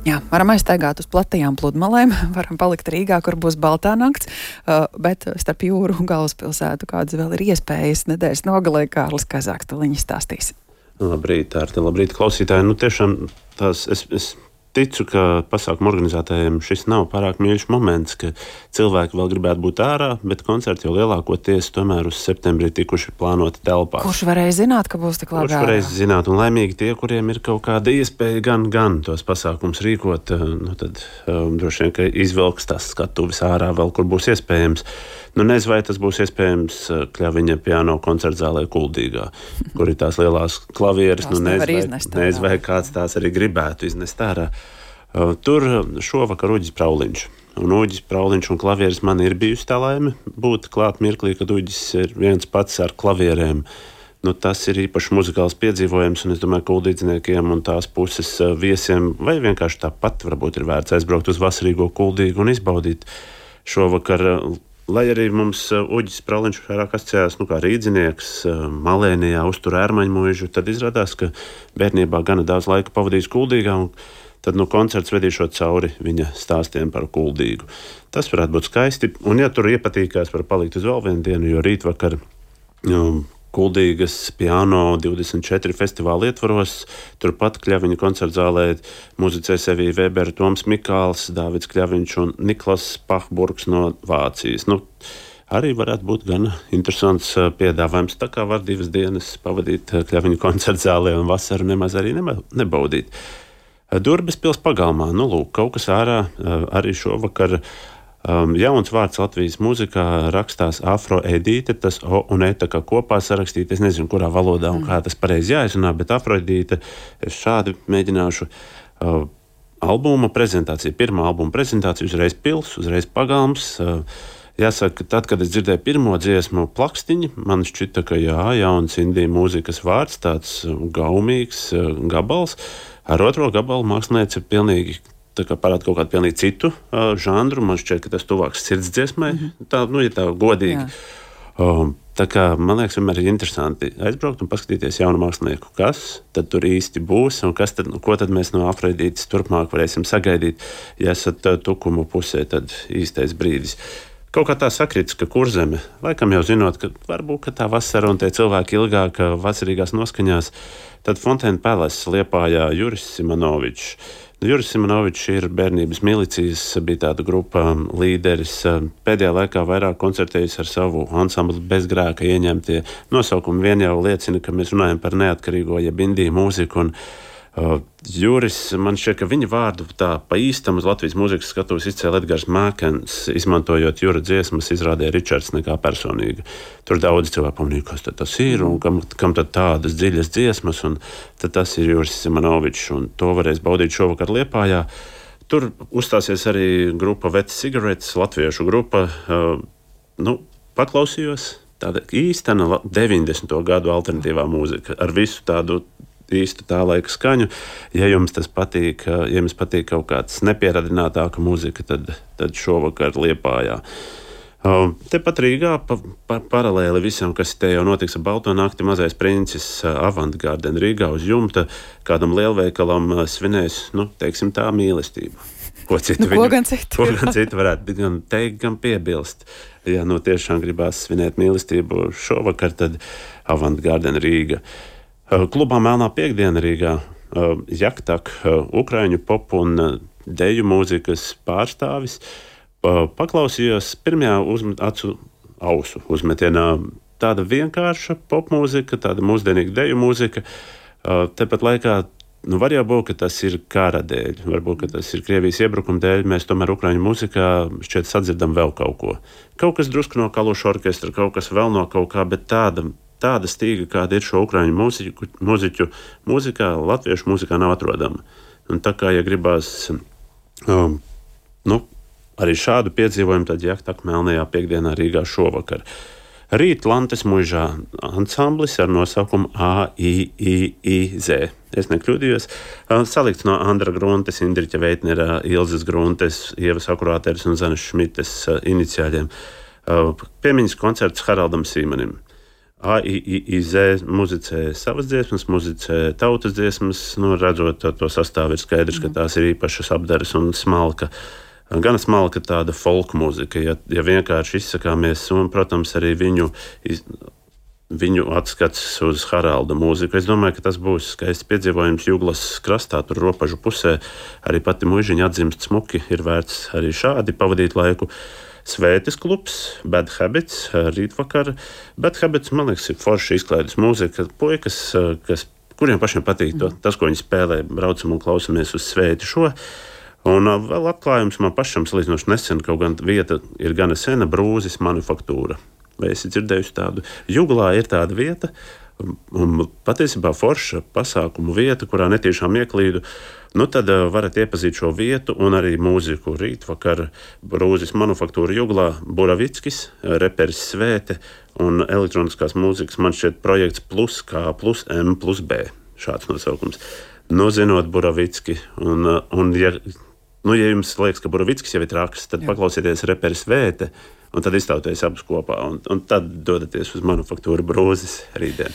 Jā, varam aiztaigāt uz platajām pludmalēm, varam palikt Rīgā, kur būs baltā nakts, bet starp jūru un galvaspilsētu kādas vēl ir iespējas nedēļas nogalē. Kārlis Kazāks tuliņi stāstīs. Labrīt, Tārte, labrīt, klausītāji. Tiešām es ticu, ka pasākumu organizētājiem šis nav pārāk mīļš moments, ka cilvēki vēl gribētu būt ārā, bet koncerti jau lielākoties tomēr uz septembrī tikuši plānoti telpās. Kurš varēja zināt, ka būs tik labi ārā? Kurš varēja zināt, un laimīgi tie, kuriem ir kaut kāda iespēja gan tos pasākums rīkot, tad droši vien, ka izvelks tās skatuves ārā vēl, kur būs iespējams. Nezinu, vai tas būs iespējams Kļaviņa piano koncertzālē Kuldīgā, kur ir tās lielās klavieres. Nezinu, vai kāds tās arī gribētu iznest ārā. Tur šovakar Uģis Prauliņš. Un Uģis Prauliņš un klavieres man ir bijusi tā laime būt klāt mirklī, kad Uģis ir viens pats ar klavierēm. Tas ir īpaši muzikāls piedzīvojums, un es domāju, ka kuldīdzniekiem un tās puses viesiem vai vienkārši tāpat varbūt ir vērts aizbraukt uz vasarīgo Kuldīgu un izbaudīt šovakar. Lai arī mums Uģis Prauliņš vairāk asociējās kā rīdzinieks, Malēnijā uztur ērmaņu mūžu, tad izrādās, ka bērnībā gana daudz laika pavadījis Kuldīgā, un tad koncerts vedīšot cauri viņa stāstiem par Kuldīgu. Tas varētu būt skaisti, un ja tur iepatīkās, var palikt uz vēl vienu dienu, jo rītvakar Kuldīgas piano 24 festivāla ietvaros, turpat Kļaviņa koncertzālē muzicēs Evija Vēbera, Toms Mikāls, Dāvids Kļaviņš un Niklas Pahburgs no Vācijas. Arī varētu būt gan interesants piedāvājums, tā kā var 2 dienas pavadīt Kļaviņa koncertzālē un vasaru nemaz arī nebaudīt. Durbes pils pagalmā, kaut kas ārā arī šovakar. Jauns vārds Latvijas mūzikā rakstās Afroedīte, tas O un E tā kā kopā sarakstīt, es nezinu, kurā valodā un kā tas pareizi jāizrunā, bet Afroedīte, es šādi mēģināšu albuma prezentāciju, pirmā albuma prezentācija, uzreiz pils, uzreiz pagalms. Jāsaka, tad, kad es dzirdēju pirmo dziesmu Plakstiņi, man šķita, ka jauns indiju mūzikas vārds, tāds gaumīgs gabals, ar otro gabalu mākslinieci ir pilnīgi parāda kaut kādu pilnīgi citu žanru. Man šķiet, ka tas tuvāks sirdsdziesmai, tā godīgi. Tā kā, man liekas, vienmēr ir interesanti aizbraukt un paskatīties jaunu mākslinieku, kas tad tur īsti būs un ko tad mēs no Afrodītes turpmāk varēsim sagaidīt. Ja esat tukumu pusē, tad īstais brīdis. Kaut kā tā sakrits, ka Kurzeme, laikam jau zinot, ka varbūt ka tā vasara un tie cilvēki ilgāk vasarīgās noskaņās, tad Fontēna Palace Liepājā Juris Simonovičs. Juris Simonovičs ir bērnības milicijas, bija tāda grupa līderis. Pēdējā laikā vairāk koncertējis ar savu ansambli Bezgrēka ieņemtie nosaukumi. Vien jau liecina, ka mēs runājam par neatkarīgo jeb indiju mūziku. Un Juris, man šķiet, ka viņa vārdu tā pa īstam uz Latvijas mūzikas skatuves izcēla Edgars Mākens, izmantojot Jura dziesmas, izrādīja Ričards nekā personīgi. Tur daudz cilvēku pamanīja, kas tas ir un kam tad tādas dziļas dziesmas, un tad tas ir Juris Simonovičs, un to varēs baudīt šovakar Liepājā. Tur uzstāsies arī grupa Wet Cigarettes, latviešu grupa. Paklausījos, tāda īstena 90. gadu alternatīvā mūzika ar visu tādu īstu tā laika skaņu. Ja jums tas patīk, ja jums patīk kaut kāds nepieradinātāka mūzika, tad šovakar Liepājā. Tepat Rīgā, paralēli visam, kas te jau notiks ar Balto nakti, Mazais princis Avantgarden Rīgā uz jumta kādam lielveikalam svinēs, teiksim tā, mīlestību. Ko gan citu varētu gan teikt, gan piebilst. Ja tiešām gribās svinēt mīlestību šovakar, tad Avantgarden Rīga. Klubā Melnā piekdiena Rīgā Jaktak, ukraiņu popu un deju mūzikas pārstāvis. Paklausījos pirmajā ausu uzmetienā tāda vienkārša popmūzika, tāda mūsdienīga deju mūzika. Tepat laikā var jau būt, ka tas ir kara dēļ, varbūt, ka tas ir Krievijas iebrukuma dēļ, mēs tomēr ukraiņu mūzikā šķiet sadzirdam vēl kaut ko. Kaut kas drusku no Kaluša orkestra, kaut kas vēl no kaut kā, bet tāda stīga, kāda ir šo ukraiņu mūziķu mūzikā, latviešu mūzikā nav atrodama. Un tā kā, ja gribās arī šādu piedzīvojumu, tad Jaktak Melnajā piekdienā Rīgā šovakar. Rīt Lantes muižā ansamblis ar nosaukumu AIIZ. Es nekļūdījos. Salikts no Andra Gruntes, Indriķa Veitnera, Ilzes Gruntes, Ievas Akurāteres un Zanes Šmites iniciāļiem. Piemiņas koncerts Haraldam Sīmanim. AIIZ muzicē savas dziesmas, muzicē tautas dziesmas. Redzot to sastāvu, ir skaidrs, ka tās ir īpašas apdares un smalka. Gan smalka tāda folk mūzika, ja vienkārši izsakāmies, un, protams, arī viņu atskats uz Haralda mūziku. Es domāju, ka tas būs skaists piedzīvojums Juglas krastā, tur robežu pusē. Arī pati muižiņa atzimst smuki, ir vērts arī šādi pavadīt laiku. Svētes klubs, Bad Habits, rītvakar. Bad Habits, man liekas, ir forši izklaides mūzika. Puikas, kuriem pašiem patīk tas, ko viņi spēlē, braucam un klausamies uz svēti šo. Un vēl atklājums man pašam salīdzinoši nesen, kaut gan vieta ir gana sena, Brūzis manufaktūra. Vai esi dzirdējusi tādu? Juglā ir tāda vieta, un patiesībā forša pasākumu vieta, kurā netīšām ieklīdu. Tad varat iepazīt šo vietu un arī mūziku. Rītvakar Brūzis manufaktūra Juglā, Buravickis, reperis Svēte un elektroniskās mūzikas, man šķiet, projekts plus K plus M plus B. Šāds nosaukums. Zinot Buravicki, un ja jums liekas, ka Buravickis jau ir traks, tad paklausieties reperis Svēte, un tad iztauties abus kopā, un tad dodaties uz manufaktūru Brūzis rītdien.